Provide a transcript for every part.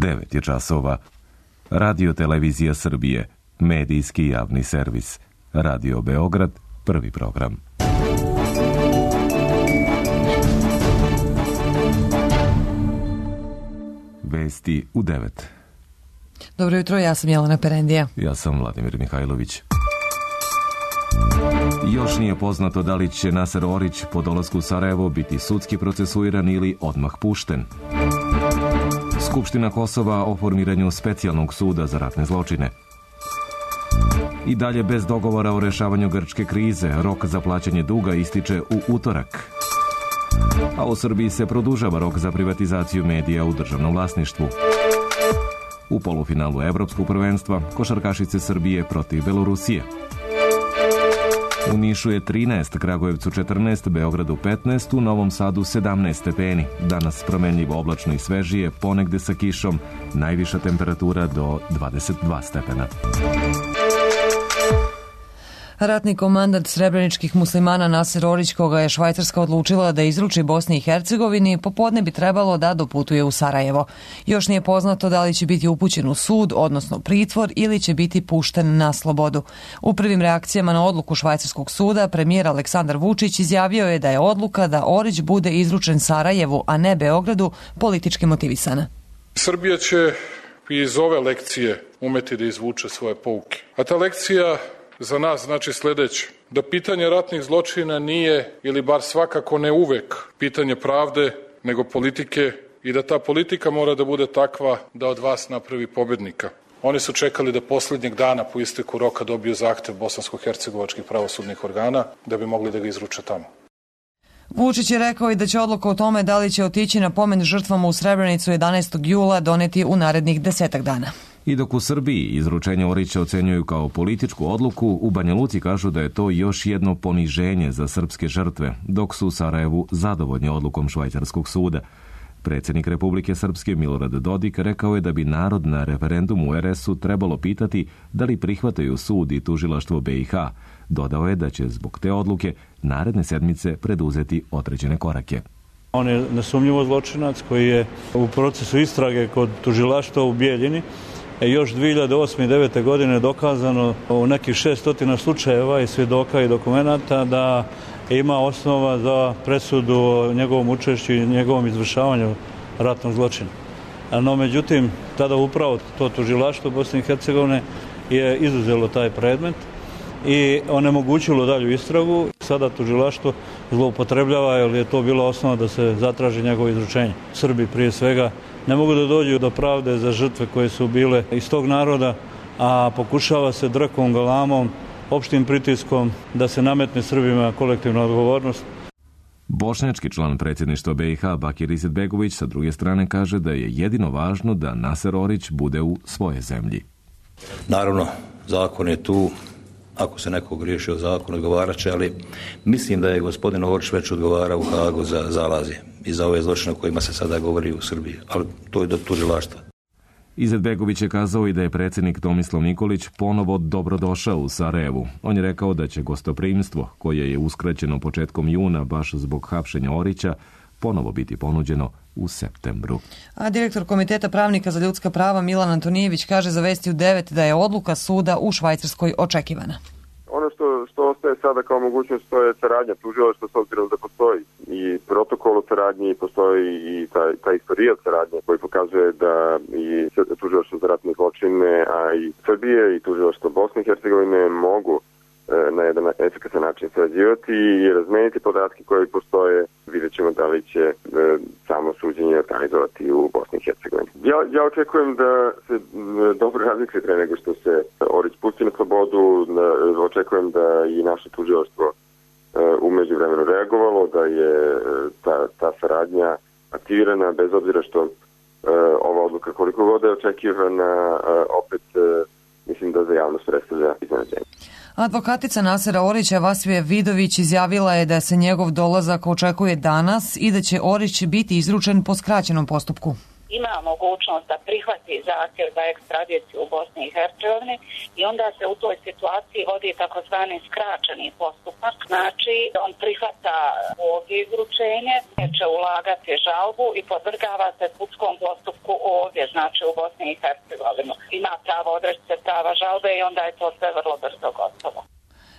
9 je časova. Radio Televizija Srbije, medijski javni servis. Radio Beograd, prvi program. Vesti u 9. Dobro jutro, ja sam Jelena Perendija. Ja sam Vladimir Mihajlović. Još nije poznato da li će Naser Orić po dolasku u Sarajevo biti sudski procesuiran ili odmah pušten. Skupština Kosova o formiranju specijalnog suda za ratne zločine. I dalje bez dogovora o rešavanju grčke krize, rok za plaćanje duga ističe u utorak. A u Srbiji se produžava rok za privatizaciju medija u državnom vlasništvu. U polufinalu Evropskog prvenstva košarkašice Srbije protiv Belorusije. U Nišu je 13, Kragujevcu 14, Beogradu 15, u Novom Sadu 17 stepeni. Danas promenljivo oblačno i svežije, ponegde sa kišom, najviša temperatura do 22 stepena. Ratni komandant srebreničkih muslimana Naser Orić, koga je Švajcarska odlučila da izruči Bosni i Hercegovini, popodne bi trebalo da doputuje u Sarajevo. Još nije poznato da li će biti upućen u sud, odnosno pritvor, ili će biti pušten na slobodu. U prvim reakcijama na odluku švajcarskog suda, premijer Aleksandar Vučić izjavio je da je odluka da Orić bude izručen Sarajevu, a ne Beogradu, politički motivisana. Srbija će iz ove lekcije umeti da izvuče svoje pouke. A ta lekcija za nas znači sljedeće, da pitanje ratnih zločina nije, ili bar svakako ne uvek, pitanje pravde, nego politike i da ta politika mora da bude takva da od vas napravi pobednika. Oni su čekali da posljednjeg dana po isteku roka dobiju zahtev bosansko-hercegovačkih pravosudnih organa da bi mogli da ga izruče tamo. Vučić je rekao i da će odluka o tome da li će otići na pomen žrtvama u Srebrenicu 11. jula doneti u narednih 10 dana. I dok u Srbiji izručenje Orića ocenjuju kao političku odluku, u Banja Luci kažu da je to još jedno poniženje za srpske žrtve, dok su u Sarajevu zadovoljni odlukom švajcarskog suda. Predsjednik Republike Srpske Milorad Dodik rekao je da bi narod na referendumu u RS-u trebalo pitati da li prihvataju sud i tužilaštvo BiH. Dodao je da će zbog te odluke naredne sedmice preduzeti određene korake. On je nesumnjivo zločinac koji je u procesu istrage kod tužilaštva u Bijeljini još 2008. i 2009. godine dokazano u nekih 600 slučajeva i svjedoka i dokumenata da ima osnova za presudu o njegovom učešću i njegovom izvršavanju ratnog zločina. No, međutim, tada upravo to tužilaštvo Bosne i Hercegovine je izuzelo taj predmet i onemogućilo dalju istragu. Sada tužilaštvo zloupotrebljava jer je to bila osnova da se zatraži njegovo izručenje. Srbi prije svega ne mogu da dođu do pravde za žrtve koje su bile iz tog naroda, a pokušava se drkom, galamom, opštim pritiskom da se nametne Srbima kolektivna odgovornost. Bošnjački član predsjedništva BiH Bakir Izetbegović sa druge strane kaže da je jedino važno da Naser Orić bude u svoje zemlji. Naravno, zakon je tu. Ako se neko griješi o zakon, odgovarat će, ali mislim da je gospodin Orić već odgovarao u Hagu za zalazje i za ove zločine o kojima se sada govori u Srbiji, ali to je do tužilaštva. Izetbegović je kazao i da je predsjednik Tomislav Nikolić ponovo dobrodošao u Sarajevu. On je rekao da će gostoprimstvo, koje je uskraćeno početkom juna baš zbog hapšenja Orića, ponovo biti ponuđeno u septembru. A direktor Komiteta pravnika za ljudska prava Milan Antonijević kaže za Vesti u 9 da je odluka suda u Švajcarskoj očekivana. Ono što ostaje sada kao mogućnost to je saradnja tužilaštva s obzirom da postoji i protokol o saradnji, postoji i taj istorijat saradnje koji pokazuje da i tužilaštvo za ratne zločine, a i Srbije i tužilaštvo Bosne i Hercegovine mogu na jedan efikasan način sarađivati i razmeniti podatke koji postoje. Vidjet ćemo da li će samo suđenje organizovati u Bosni i Hercegovini. Ja očekujem da se dobro razmisli pre nego što se Orić pusti na slobodu. Očekujem da i naše tužilaštvo u međuvremenu reagovalo, da je ta saradnja aktivirana bez obzira što ova odluka koliko god je očekivana, opet mislim da za javnost predstavlja iznenađenje. Advokatica Nasera Orića Vasvija Vidović izjavila je da se njegov dolazak očekuje danas i da će Orić biti izručen po skraćenom postupku. ima mogućnost da prihvati zahtjev za ekstradiciju u Bosni i Hercegovini i onda se u toj situaciji vodi takozvani skraćeni postupak. Znači, on prihvata ovdje izručenje, će ulagati žalbu i podvrgava se sudskom postupku ovdje, znači u Bosni i Hercegovini. Ima pravo odreći se prava žalbe i onda je to sve vrlo brzo gotovo.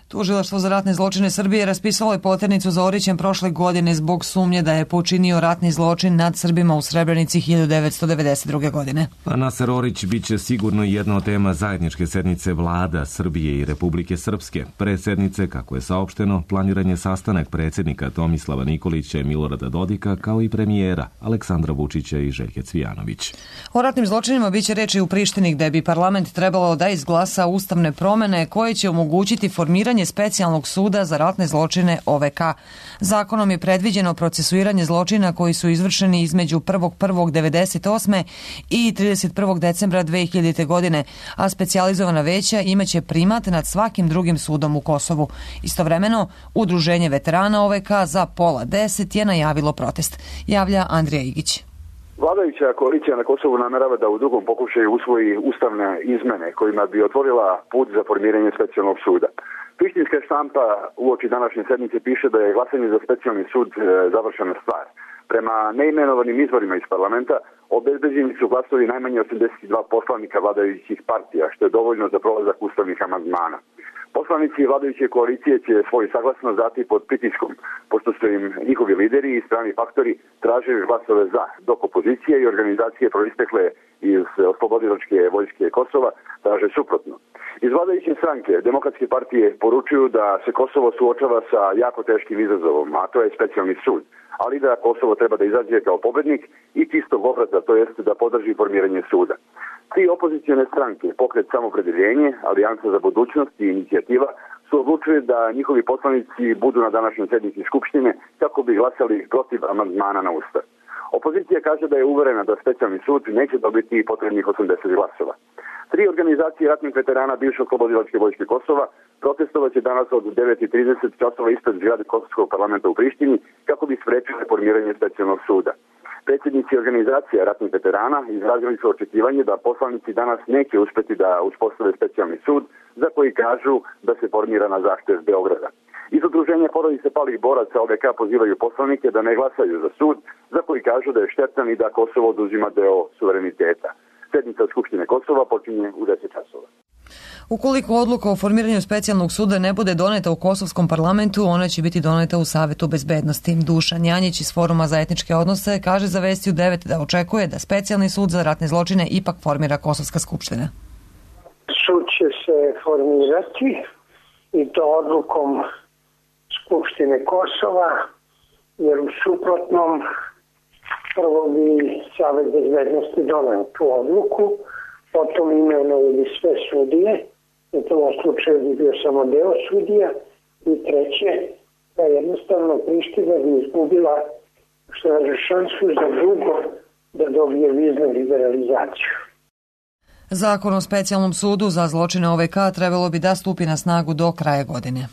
Tužilaštvo za ratne zločine Srbije raspisalo je poternicu za Orićem prošle godine zbog sumnje da je počinio ratni zločin nad Srbima u Srebrenici 1992. godine. Naser Orić biće sigurno jedna od tema zajedničke sednice vlada Srbije i Republike Srpske. Pre sednice, kako je saopšteno, planiran je sastanak predsjednika Tomislava Nikolića i Milorada Dodika, kao i premijera Aleksandra Vučića i Željke Cvijanović. O ratnim zločinima biće reči u Prištini, gde bi parlament trebalo da izglasa ustavne promene koje će omogućiti formiranje specijalnog suda za ratne zločine OVK. Zakonom je predviđeno procesuiranje zločina koji su izvršeni između 1.1.1998. i 31. decembra 2000. godine, a specijalizovana veća imaće primat nad svakim drugim sudom u Kosovu. Istovremeno, Udruženje veterana OVK za pola 10 je najavilo protest. Javlja Andrija Igić. Vladajuća koalicija na Kosovu namerava da u drugom pokušaju usvoji ustavne izmene kojima bi otvorila put za formiranje specijalnog suda. Prištinska štampa uoči današnje sednice piše da je glasanje za specijalni sud završena stvar. Prema neimenovanim izvorima iz parlamenta obezbeđeni su glasovi najmanje 82 poslanika vladajućih partija, što je dovoljno za prolazak ustavnih amandmana. Poslanici vladajuće koalicije će svoj saglasnost dati pod pritiskom, pošto su im njihovi lideri i strani faktori tražili glasove za, dok opozicije i organizacije proistekle iz Oslobodilačke vojske Kosova traže suprotno. Iz vladajuće stranke Demokratske partije poručuju da se Kosovo suočava sa jako teškim izazovom, a to je specijalni sud, ali da Kosovo treba da izađe kao pobednik i čistog obraza, to jest da podrži formiranje suda. Tri opozicione stranke, Pokret Samopredeljenje, Alijansa za budućnost i Inicijativa, su odlučili da njihovi poslanici budu na današnjoj sednici Skupštine kako bi glasali protiv amandmana na Ustav. Opozicija kaže da je uverena da specijalni sud neće dobiti potrebnih 80 glasova. Tri organizacije ratnih veterana bivšeg Oslobodilačke vojske Kosova protestovaće danas od 9:30 časova ispred zgrade Kosovskog parlamenta u Prištini kako bi sprečili formiranje specijalnog suda. Predsjednici organizacija ratnih veterana izrazili su očekivanje da poslanici danas neće uspjeti da uspostave specijalni sud za koji kažu da se formira na zahtev Beograda. Iz udruženja porodice palih boraca OVK pozivaju poslanike da ne glasaju za sud za koji kažu da je štetan i da Kosovo oduzima deo suvereniteta. Sednica Skupštine Kosova počinje u 10 časova. Ukoliko odluka o formiranju specijalnog suda ne bude doneta u kosovskom parlamentu, ona će biti doneta u Savetu bezbednosti. Dušan Janjić iz Foruma za etničke odnose kaže za Vesti u 9 da očekuje da specijalni sud za ratne zločine ipak formira Kosovska skupština. Sud će se formirati i to odlukom Skupštine Kosova, jer u suprotnom prvo bi Savet bezbednosti doneo tu odluku, potom imenovali sve sudije, u tom slučaju bi bio samo deo sudija, i treće, da jednostavno Priština bi izgubila šansu za dugo da dobije viznu liberalizaciju. Zakon o specijalnom sudu za zločine OVK trebalo bi da stupi na snagu do kraja godine.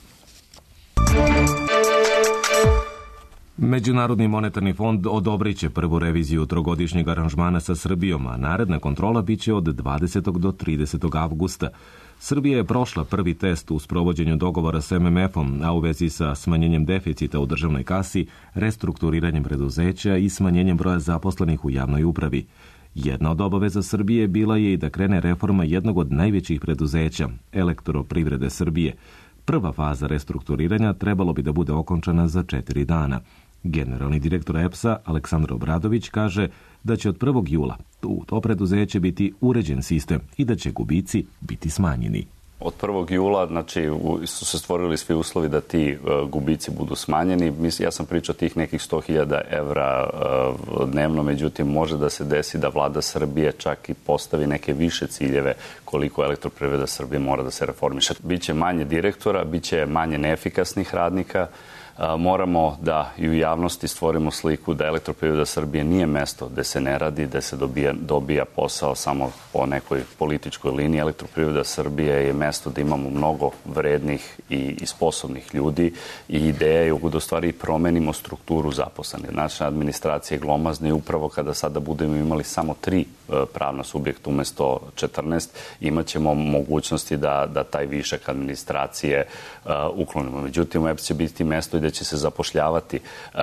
Međunarodni monetarni fond odobrit će prvu reviziju trogodišnjeg aranžmana sa Srbijom, a naredna kontrola biće od 20. do 30. avgusta. Srbija je prošla prvi test u sprovođenju dogovora s MMF-om, a u vezi sa smanjenjem deficita u državnoj kasi, restrukturiranjem preduzeća i smanjenjem broja zaposlenih u javnoj upravi. Jedna od obaveza Srbije bila je i da krene reforma jednog od najvećih preduzeća, Elektroprivrede Srbije. Prva faza restrukturiranja trebalo bi da bude okončana za 4 dana. Generalni direktor EPS-a Aleksandar Obradović kaže da će od 1. jula u to preduzeće biti uređen sistem i da će gubici biti smanjeni. Od 1. jula su se stvorili svi uslovi da ti gubici budu smanjeni. Ja sam pričao tih nekih 100.000 evra dnevno, međutim može da se desi da vlada Srbije čak i postavi neke više ciljeve koliko Elektroprivreda Srbije mora da se reformiše. Biće manje direktora, biće manje neefikasnih radnika, Moramo da i u javnosti stvorimo sliku da Elektroprivreda Srbije nije mesto gde se ne radi, gde se dobija posao samo po nekoj političkoj liniji. Elektroprivreda Srbije je mesto gde imamo mnogo vrednih i sposobnih ljudi i ideja je da u stvari promenimo strukturu zaposlenih. Naša administracija je glomazna i upravo kada sada budemo imali samo 3 pravna subjekta umesto 14, imaćemo mogućnosti da taj višak administracije uklonimo. Međutim, EPS će biti mesto gde će se zapošljavati.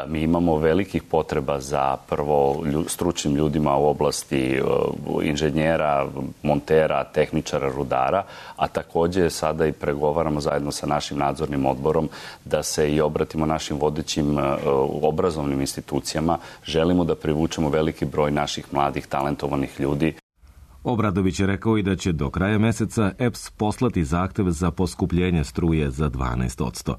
Mi imamo velikih potreba za prvo stručnim ljudima u oblasti inženjera, montera, tehničara, rudara, a takođe sada i pregovaramo zajedno sa našim nadzornim odborom da se i obratimo našim vodećim obrazovnim institucijama. Želimo da privučemo veliki broj naših mladih, talentovanih ljudi. Obradović je rekao i da će do kraja meseca EPS poslati zahtev za poskupljenje struje za 12%.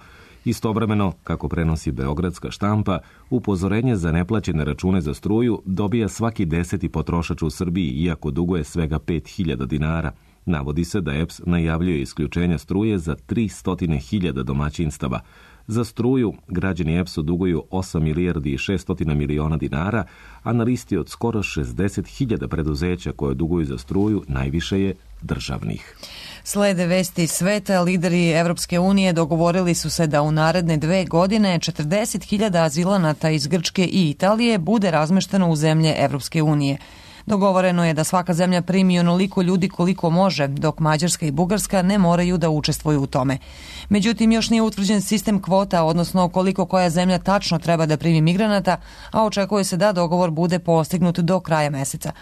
Istovremeno, kako prenosi Beogradska štampa, upozorenje za neplaćene račune za struju dobija svaki 10. potrošač u Srbiji, iako duguje svega 5.000 dinara. Navodi se da EPS najavljuje isključenje struje za 300.000 domaćinstava. Za struju građani EPS-u duguju 8 milijardi i 600 miliona dinara, a na listi od skoro 60.000 preduzeća koje duguju za struju najviše je državnih. Slede vesti sveta, lideri Evropske unije dogovorili su se da u naredne 2 godine 40.000 azilanata iz Grčke i Italije bude razmešteno u zemlje Evropske unije. Dogovoreno je da svaka zemlja primi onoliko ljudi koliko može, dok Mađarska i Bugarska ne moraju da učestvuju u tome. Međutim, još nije utvrđen sistem kvota, odnosno koliko koja zemlja tačno treba da primi migranata, a očekuje se da dogovor bude postignut do kraja meseca.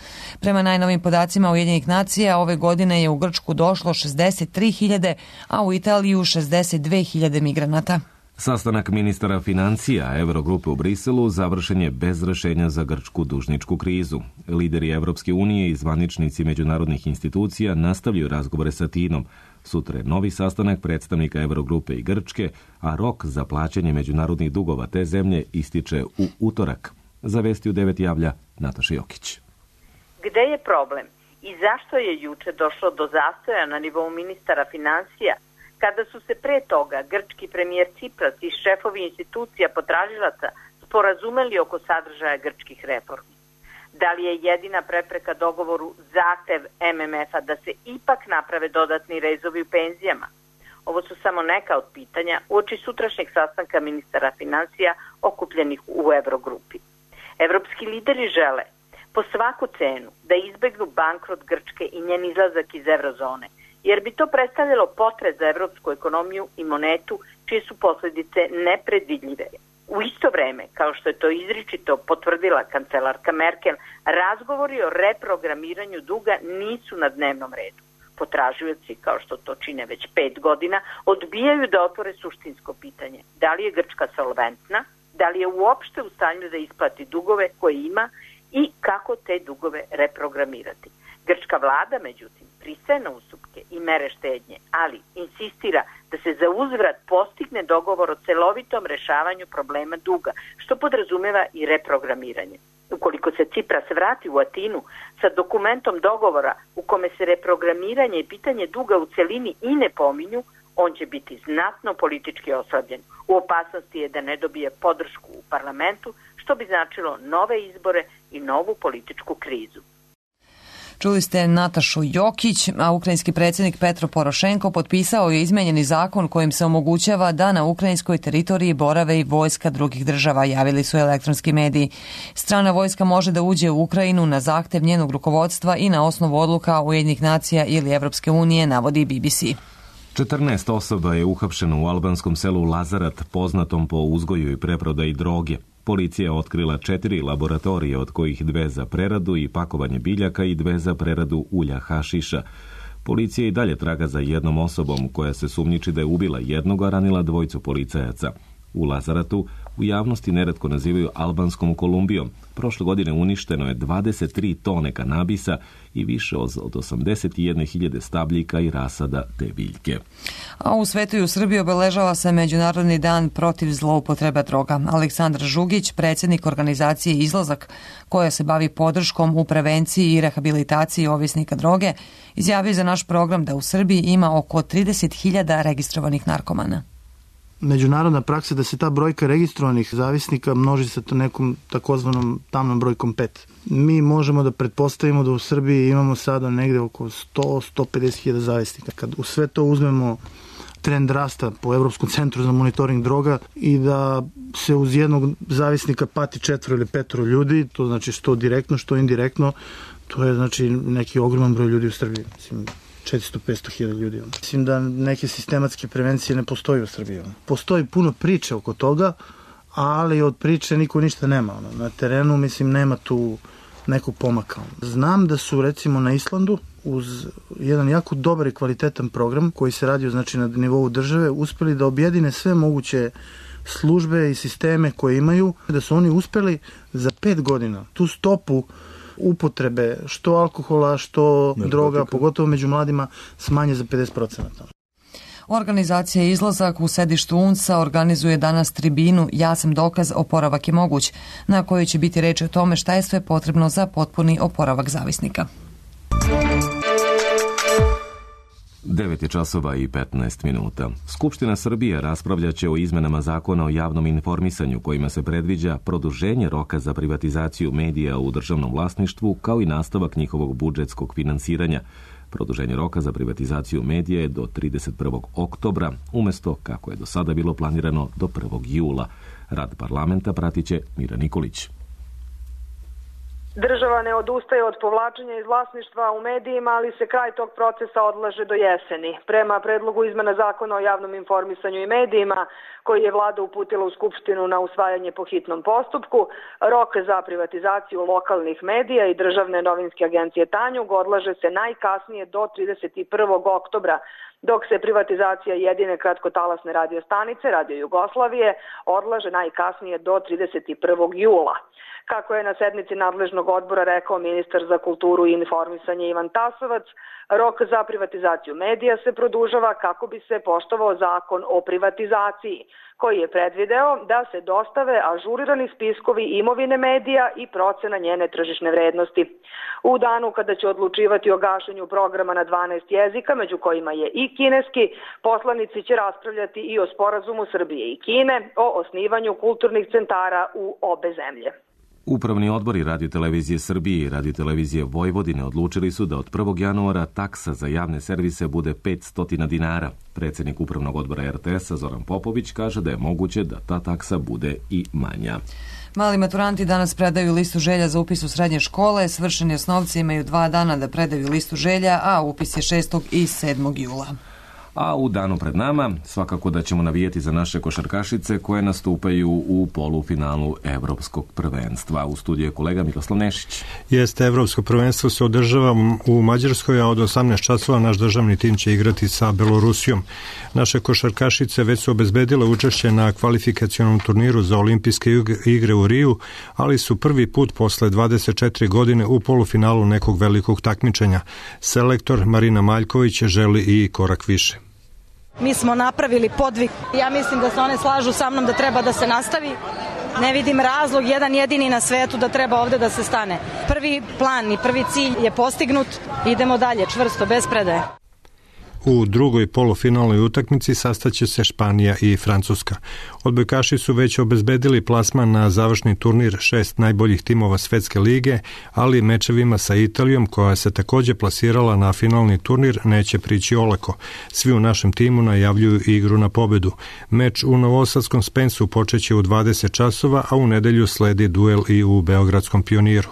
Prema najnovim podacima Ujedinjenih nacija, ove godine je u Grčku došlo 63.000, a u Italiju 62.000 migranata. Sastanak ministara financija Eurogrupe u Briselu završen je bez rešenja za grčku dužničku krizu. Lideri Evropske unije i zvaničnici međunarodnih institucija nastavljaju razgovore sa Atinom. Sutra je novi sastanak predstavnika Eurogrupe i Grčke, a rok za plaćanje međunarodnih dugova te zemlje ističe u utorak. Za vesti u 9 javlja Nataša Jokić. Gde je problem i zašto je juče došlo do zastoja na nivou ministara financija, kada su se pre toga grčki premijer Cipras i šefovi institucija potražilaca sporazumeli oko sadržaja grčkih reformi? Da li je jedina prepreka dogovoru zahtev MMF-a da se ipak naprave dodatni rezovi u penzijama? Ovo su samo neka od pitanja uoči sutrašnjeg sastanka ministara financija okupljenih u Eurogrupi. Evropski lideri žele po svaku cenu da izbegnu bankrot Grčke i njen izlazak iz eurozone, jer bi to predstavljalo potres za evropsku ekonomiju i monetu, čije su posledice nepredvidljive. U isto vreme, kao što je to izričito potvrdila kancelarka Merkel, razgovori o reprogramiranju duga nisu na dnevnom redu. Potražioci, kao što to čine već 5 godina, odbijaju da otvore suštinsko pitanje. Da li je Grčka solventna, da li je uopšte u stanju da isplati dugove koje ima i kako te dugove reprogramirati. Grčka vlada, međutim, pristaje na ustupke i mere štednje, ali insistira da se za uzvrat postigne dogovor o celovitom rešavanju problema duga, što podrazumeva i reprogramiranje. Ukoliko se Cipras vrati u Atinu sa dokumentom dogovora u kome se reprogramiranje i pitanje duga u celini i ne pominju, on će biti znatno politički oslabljen. U opasnosti je da ne dobije podršku u parlamentu, što bi značilo nove izbore i novu političku krizu. Čuli ste Natašu Jokić, a ukrajinski predsjednik Petro Porošenko potpisao je izmenjeni zakon kojim se omogućava da na ukrajinskoj teritoriji borave i vojska drugih država, javili su elektronski mediji. Strana vojska može da uđe u Ukrajinu na zahtev njenog rukovodstva i na osnovu odluka Ujedinjenih nacija ili Evropske unije, navodi BBC. 14 osoba je uhapšeno u albanskom selu Lazarat, poznatom po uzgoju i preprodaji droge. Policija je otkrila 4 laboratorije, od kojih 2 za preradu i pakovanje biljaka i 2 za preradu ulja hašiša. Policija i dalje traga za jednom osobom koja se sumnjiči da je ubila jednog, a ranila 2 policajaca. U Lazaratu u javnosti neretko nazivaju albanskom Kolumbijom. Prošle godine uništeno je 23 tone kanabisa i više od 81.000 stabljika i rasada te biljke. A u svetu i u Srbiji obeležava se Međunarodni dan protiv zloupotrebe droga. Aleksandar Žugić, predsjednik organizacije Izlazak, koja se bavi podrškom u prevenciji i rehabilitaciji ovisnika droge, izjavio za naš program da u Srbiji ima oko 30.000 registrovanih narkomana. međunarodna praksa da se ta brojka registrovanih zavisnika množi sa nekom takozvanom tamnom brojkom 5. Mi možemo da pretpostavimo da u Srbiji imamo sada negde oko 100-150 hiljada zavisnika. Kad u sve to uzmemo trend rasta po Evropskom centru za monitoring droga i da se uz jednog zavisnika pati 4 ili 5 ljudi, to znači što direktno, što indirektno, to je znači neki ogroman broj ljudi u Srbiji. Mislim, 400-500 hiljada ljudi. Mislim da neke sistematske prevencije ne postoji u Srbiji. Postoji puno priče oko toga, ali od priče niko ništa nema. Na terenu, mislim, nema tu nekog pomaka. Znam da su, recimo, na Islandu, uz jedan jako dobar i kvalitetan program koji se radio, znači, na nivou države, uspeli da objedine sve moguće službe i sisteme koje imaju, da su oni uspeli za 5 godina tu stopu upotrebe što alkohola, što droga, pogotovo među mladima, smanje za 50%. Organizacija Izlazak u sedištu UNS-a organizuje danas tribinu Ja sam dokaz, oporavak je moguć, na kojoj će biti reč o tome šta je sve potrebno za potpuni oporavak zavisnika. 9:15. Skupština Srbije raspravljaće o izmenama zakona o javnom informisanju kojima se predviđa produženje roka za privatizaciju medija u državnom vlasništvu kao i nastavak njihovog budžetskog finansiranja. Produženje roka za privatizaciju medija je do 31. oktobra, umjesto, kako je do sada bilo planirano, do 1. jula. Rad parlamenta pratiće Mira Nikolić. Država ne odustaje od povlačenja iz vlasništva u medijima, ali se kraj tog procesa odlaže do jeseni. Prema predlogu izmena zakona o javnom informisanju i medijima, koji je vlada uputila u Skupštinu na usvajanje po hitnom postupku, rok za privatizaciju lokalnih medija i državne novinske agencije Tanjug odlaže se najkasnije do 31. oktobra, dok se privatizacija jedine kratkotalasne radiostanice Radio Jugoslavije odlaže najkasnije do 31. jula. Kako je na sednici nadležnog odbora rekao ministar za kulturu i informisanje Ivan Tasovac, rok za privatizaciju medija se produžava kako bi se poštovao zakon o privatizaciji, koji je predvideo da se dostave ažurirani spiskovi imovine medija i procena njene tržišne vrednosti. U danu kada će odlučivati o gašenju programa na 12 jezika, među kojima je i kineski, poslanici će raspravljati i o sporazumu Srbije i Kine o osnivanju kulturnih centara u obe zemlje. Upravni odbori Radiotelevizije Srbije i Radiotelevizije Vojvodine odlučili su da od 1. januara taksa za javne servise bude 500 dinara. Predsjednik Upravnog odbora RTS-a Zoran Popović kaže da je moguće da ta taksa bude i manja. Mali maturanti danas predaju listu želja za upis u srednje škole. Svršeni osnovci imaju 2 dana da predaju listu želja, a upis je 6. i 7. jula. A u danu pred nama svakako da ćemo navijeti za naše košarkašice koje nastupaju u polufinalu Evropskog prvenstva. U studiju je kolega Miroslav Nešić. Jeste, Evropsko prvenstvo se održava u Mađarskoj, a od 18 časova naš državni tim će igrati sa Belorusijom. Naše košarkašice već su obezbedile učešće na kvalifikacionom turniru za olimpijske igre u Riju, ali su prvi put posle 24 godine u polufinalu nekog velikog takmičenja. Selektor Marina Maljković želi i korak više. Mi smo napravili podvig. Ja mislim da se one slažu sa mnom da treba da se nastavi. Ne vidim razlog, jedan jedini na svetu, da treba ovde da se stane. Prvi plan i prvi cilj je postignut. Idemo dalje, čvrsto, bez predaje. U drugoj polufinalnoj utakmici sastaće se Španija i Francuska. Odbojkaši su već obezbedili plasman na završni turnir 6 najboljih timova Svetske lige, ali mečevima sa Italijom, koja se takođe plasirala na finalni turnir, neće prići olako. Svi u našem timu najavljuju igru na pobedu. Meč u novosadskom Spensu počeće u 20 časova, a u nedelju sledi duel i u Beogradskom Pioniru.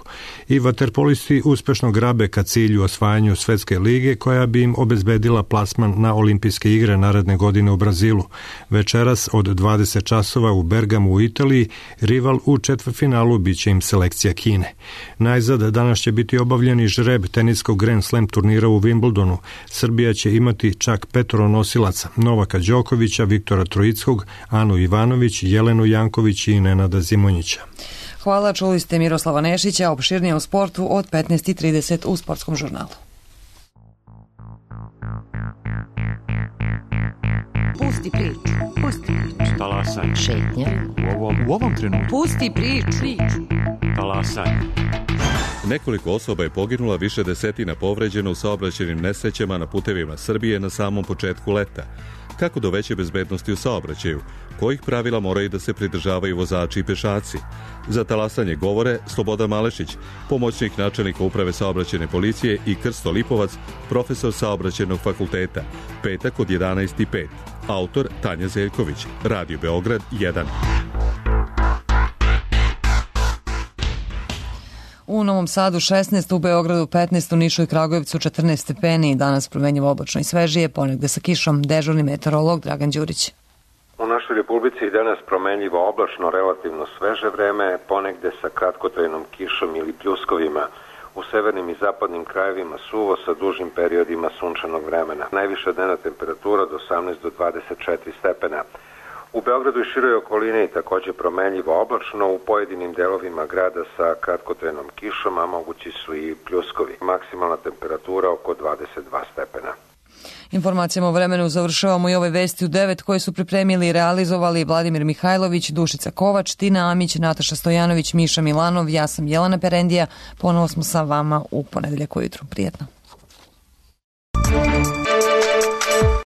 I vaterpolisti uspešno grabe ka cilju osvajanju Svetske lige, koja bi im obezbedila plasman na olimpijske igre naredne godine u Brazilu. Večeras od 20 časova u Bergamu u Italiji, rival u četvrtfinalu biće im selekcija Kine. Najzad danas će biti obavljeni žreb teniskog Grand Slam turnira u Wimbledonu. Srbija će imati čak 5 nosilaca: Novaka Đokovića, Viktora Troickog, Anu Ivanović, Jelenu Janković i Nenada Zimonjića. Hvala, čuli ste Miroslava Nešića, opširnije u sportu od 15:30 u Sportskom žurnalu. Pusti priču. Pusti priču. Talasaj. Šetnja. U ovom trenutku. Pusti priču. Talasaj. Nekoliko osoba je poginula, više desetina povređeno u saobraćajnim nesrećama na putevima Srbije na samom početku leta. kako do veće bezbednosti u saobraćaju, kojih pravila moraju da se pridržavaju vozači i pešaci. Za talasanje govore Slobodan Malešić, pomoćnik načelnika uprave saobraćajne policije, i Krsto Lipovac, profesor saobraćajnog fakulteta, petak od 11:05. Autor Tanja Zeljković, Radio Beograd 1. U Novom Sadu 16, u Beogradu 15, u Nišu i Kragujevcu 14 stepeni. Danas promenjivo oblačno i svežije, ponegde sa kišom. Dežurni meteorolog Dragan Đurić. U našoj Republici danas promenljivo oblačno, relativno sveže vreme, ponegde sa kratkotrajnom kišom ili pljuskovima. U severnim i zapadnim krajevima suvo sa dužim periodima sunčanog vremena. Najviša dnevna temperatura od 18 do 24 stepena. U Beogradu i široj okolini takođe promenljivo oblačno, u pojedinim delovima grada sa kratkotrajnom kišom, a mogući su i pljuskovi. Maksimalna temperatura oko 22 stepena. Informacijama o vremenu završavamo i ove vesti u 9 koje su pripremili i realizovali Vladimir Mihajlović, Dušica Kovač, Tina Amić, Nataša Stojanović, Miša Milanov, ja sam Jelena Perendija. Ponovo smo sa vama u ponedeljak ujutru. Prijetno.